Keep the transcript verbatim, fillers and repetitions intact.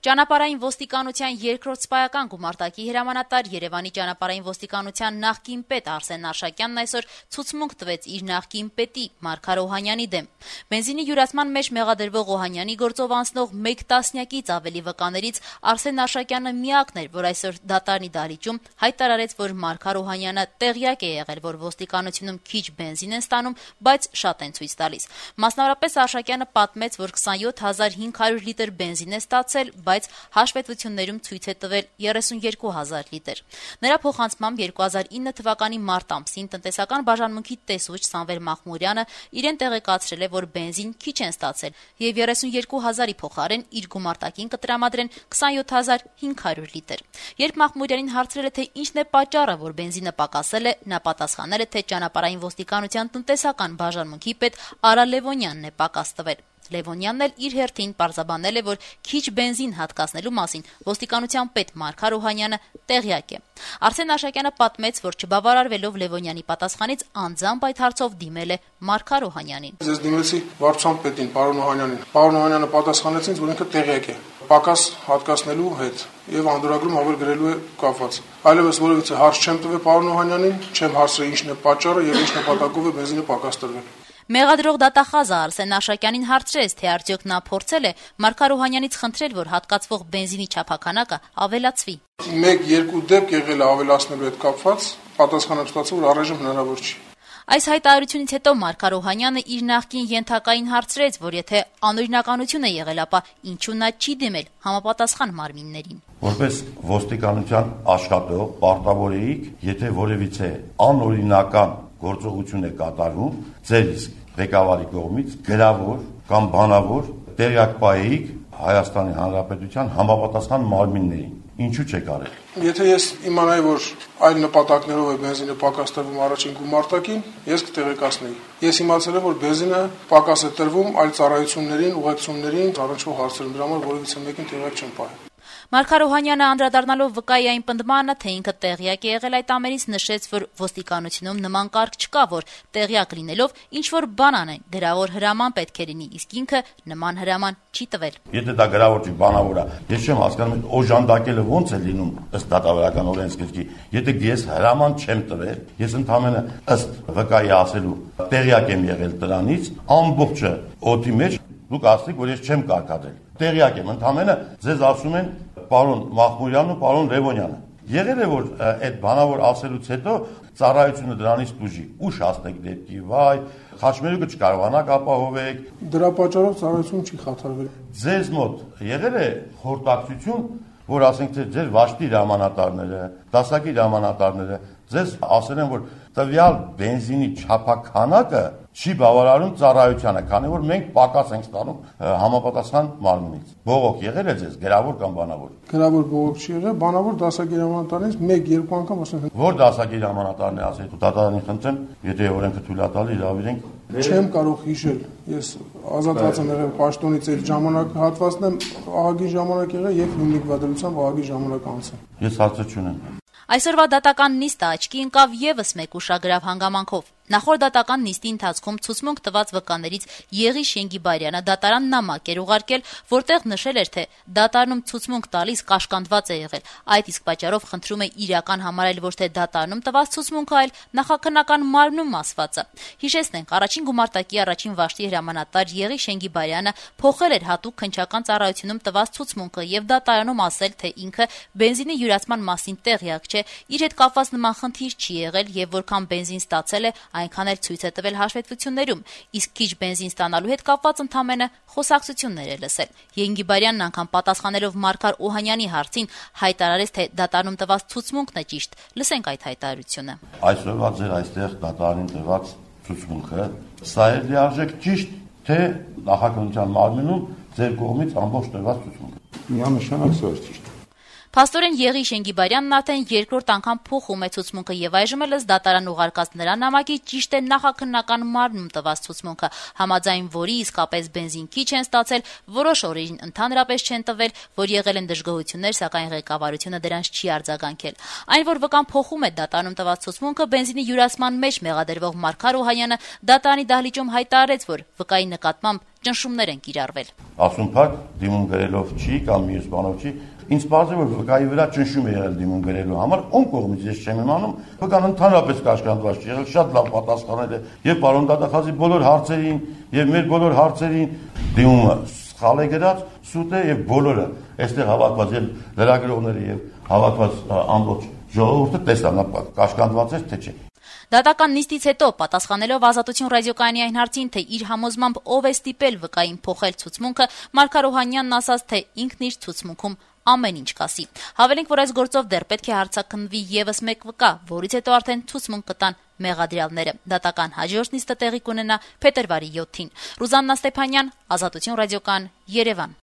Ճանապարհային ոստիկանության երկրորդ սպայական գումարտակի հրամանատար Երևանի ճանապարհային ոստիկանության նախկին պետ Արսեն Արշակյանն այսօր ցուցմունք տվեց իր նախկին պետի Մարգար Օհանյանի դեմ։ Բենզինի յուրացման մեջ մեղադրվող Օհանյանի գործով անցնող մեկ տասնյակից ավելի վկաներից Արսեն Արշակյանը միակն էր, որ այսօր դատարանի դահլիճում հայտարարեց, որ Մարգար Օհանյանը տեղյակ է եղել, որ ոստիկանությունում քիչ բենզին են ստանում, բայց շատ են ցույց տալիս։ Մասնավորապես Արշակյանը պատմեց, որ քսանյոթ հազար հինգ հարյուր լիտր բենզին է ստացել, բայց հաշվետվություններում ցույց է տվել երեսունյերկու հազար լիտր։ Նրա փոխանցմամբ երկու հազար ինը թվականի մարտ ամսին տնտեսական բաժանմունքի տեսուչ Սամվել Մախմուրյանը իրեն տեղեկացրել է, որ բենզին քիչ են ստացել եւ երեսունյերկու հազարի փոխարեն իր գումարտակին կտրամադրեն քսանյոթ հազար հինգ հարյուր լիտր։ Երբ Մախմուրյանին հարցրել է, թե ինչն է պատճառը, որ բենզինը պակասել է, նա պատասխանել է, թե ճանապարհային ոստիկանության տնտեսական բաժանմունքի պետ Արա Լևոնյանն է պակաս տվել։ Լևոնյանն էլ իր հերթին պարզաբանել է, որ քիչ բենզին հատկացնելու մասին ոստիկանության պետ Մարգար Օհանյանը տեղյակ է։ Արսեն Արշակյանը պատմեց, որ չբավարարվելով Լևոնյանի պատասխանից անձամբ այդ հարցով դիմել է Մարգար Օհանյանին։ Ես դիմեցի վարչության պետին, պարոն Օհանյանին։ Պարոն Օհանյանը պատասխանեց ինձ, որ ինքը տեղյակ է պակաս հատկացնելու հետ եւ անդորագրում ավել գրելու է կապված։ Այլևս որևիցե հարց չեմ տվել պարոն Օհանյանին, չեմ հարցրել ինչն է պատճառը եւ ինչ նպատակով է բենզինը պակաս տրվել։ Մեղադրող դատախազը Արսեն Արշակյանին հարցրեց, թե արդյոք նա փորձել է Մարգար Օհանյանից խնդրել, որ հատկացվող բենզինի չափաքանակը ավելացվի։ Մեկ-երկու դեպք եղել է ավելացնելու հետ կապված, պատասխանը ստացա, որ առայժմ հնարավոր չի։ Այս հայտարարությունից հետո Մարգար Օհանյանը իր նախկին ենթակային հարցրեց, որ եթե անօրինականություն է եղել, ապա ինչու նա չի դիմել համապատասխան մարմիններին։ Որպես ոստիկանության աշխատող պարտավոր էիք, եթե որևիցե անօրինական գործողություն է կատարվում, ձեր իսկ ղեկավարի կողմից գրավոր կամ բանավոր տեղյակ պահեիք Հայաստանի Հանրապետության համապատասխան մարմիններին։ Ինչու չեք արել։ Եթե ես իմանայի, որ այլ նպատակներով է բենզինը պակաս տրվում առաջին գումարտակին, ես կտեղեկացնեի։ Ես իմացել եմ, որ բենզինը պակաս է տրվում այլ ծառայություններին, ուղեկցություններին, առնչվող հարցերում, դրա համար որևիցե մեկին տեղյակ չեմ պահել։ Մարգար Օհանյանը անդրադառնալով վկայի այն պնդմանը, թե ինքը տեղյակ է եղել այդ ամենից, նշեց, որ ոստիկանությունում նման կարգ չկա, որ տեղյակ լինելով ինչ որ բան անեն, գրավոր հրաման պետք է լինի, իսկ ինքը նման հրաման չի տվել։ Եթե դա գրավոր չի, բանավոր է, ես չեմ հասկանում, օժանդակելը ոնց է լինում ըստ դատավարական օրենսգրքի։ Եթե ես հրաման չեմ տվել, ես ընդհանրապես ըստ վկայի ասելու տեղյակ եմ եղել դրանից, ամբողջը օդի մեջ դուք ասեք, որ ես չեմ կարկադրել։ Տեղյակ եմ, ընդհանրապես ձեզ ասում են պարոն Մախմուրյանն ու պարոն Լևոնյանը։ Եղել է, որ այդ բանավոր ասելուց հետո ծառայությունը դրանից դուժի։ Ուշ հասնեք դեպքի, վայ, խաչմերուկը չկարողանաք ապահովեք։ Դրա պատճառով ծառայությունը չի խաթարվել։ Ձեզ մոտ եղել է խորտակցություն, որ ասենք թե ձեր վաշտի հրամանատարները, դասակի հրամանատարները ձեզ ասել են, որ տվյալ բենզինի չափաքանակը չի բավարարում ծառայությանը, քանի որ մենք պակաս ենք ստանում համապատասխան մարմնից։ Բողոք եղել է ձեզ գրավոր կամ բանավոր։ Գրավոր բողոք չի եղել, բանավոր դասակի հրամանատարներից մեկ-երկու անգամ ասել են։ Որ դասակի հրամանատարն է ասել, դատարանին խնդրեմ, եթե օրենքը թույլ է տալի, հրավիրենք։ Չեմ կարող հիշել։ Ես ազատված եմ եղել պաշտոնից այդ ժամանակ հատվածն եմ ահագին ժամանակ եղել եւ հիմնիկվա դրությամբ ահագին ժամանակ անցել։ Ես հարցը չունեմ։ Այսօրվա դատական նիստը աչքի ընկավ եւս մեկ ուշագրավ հանգամանքով։ Նախորդ դատական նիստի ընթացքում ցուցմունք տված վկաներից Եղի Շենգիբարյանը դատարան նամակ էր ուղարկել, որտեղ նշել էր, թե դատարանում ցուցմունք տալիս կաշկանդված է եղել։ Այդ իսկ պատճառով խնդրում է իրական համարել ոչ թե դատարանում տված ցուցմունքը, այլ նախաքննական մարմնում ասվածը։ Հիշեցնենք, առաջին գումարտակի առաջին վաշտի հրամանատար Եղի Շենգիբարյանը փոխել էր հատուկ քննչական ծառայությունում տված ցուցմունքը եւ դատարանում ասել, թե ինքը բենզինի յուրացման մասին տեղյակ չէ, իր հետ կապված նման խնդիր չի եղել եւ որքան բենզին ստացել է, այնքան էլ ցույց է տվել հաշվետվություններում, իսկ քիչ բենզին ստանալու հետ կապված ընդամենը խոսակցություններ է լսել։ Եղիգիբարյանն անգամ պատասխանելով Մարգար Օհանյանի հարցին հայտարարեց, թե դատարանում տված ցուցմունքն է ճիշտ։ Լսենք այդ հայտարարությունը։ Այսօրվա ձեր այստեղ դատարանին տված ցուցմունքը սա է լիարժեք ճիշտ, թե նախաքննության մարմնում ձեր կողմից ամբողջ տված ցուցմունքը։ Միանշանակ սա է ճիշտ։ Փաստորեն Եղի Շենգիբարյանն արդեն երկրորդ անգամ փոխում է ցուցմունքը եւ այժմ էլ ըստ դատարան ուղարկած նրա նամակի ճիշտ է նախաքննական մարմնում տված ցուցմունքը, համաձայն որի իսկապես բենզին քիչ են ստացել, որոշ օրերին ընդհանրապես չեն տվել, որ եղել են դժգոհություններ, սակայն ղեկավարությունը դրանց չի արձագանքել։ Այն, որ վկան փոխում է դատարանում տված ցուցմունքը, բենզինի յուրացման մեջ մեղադրվող Մարգար Օհանյանը դատարանի դահլիճում հայտարարեց, որ վկայի նկատմամբ ճնշումներ են կիրառվել։ Ասում փակ դիմում գրելով չի կամ մյուս բանով չի, ինձ բարձր որ վկայի վրա ճնշում է եղել դիմում գրելու համար, ում կողմից ես չեմ իմանում, վկան ընդհանրապես կաշկանդված չի եղել, շատ լավ պատասխանել է եւ պարոն Դատախազի բոլոր հարցերին եւ մեր բոլոր հարցերին դիմումը սխալ է գրած, սուտ է եւ բոլորը այստեղ հավաքված եւ լրագրողները եւ հավաքված ամբողջ ժողովուրդը տեսան, կաշկանդված է թե չէ։ Դատական նիստից հետո պատասխանելով Ազատություն ռադիոկայանի այն հարցին, թե իր համոզմամբ ով է ստիպել վկային փոխել ցուցմունքը, Մարգար Օհանյանն ասաց, թե ինքն իր ցուցմունքում ամեն ինչ կասի։ Հավելենք, որ այս գործով դեռ պետք է հարցաքննվի եւս մեկ վկա, որից հետո արդեն ցուցմունք կտան մեղադրյալները։ Դատական հաջորդ նիստը տեղի կունենա փետրվարի յոթին։ Ռուզաննա Ստեփանյան, Ազատություն ռադիոկայան, Երևան։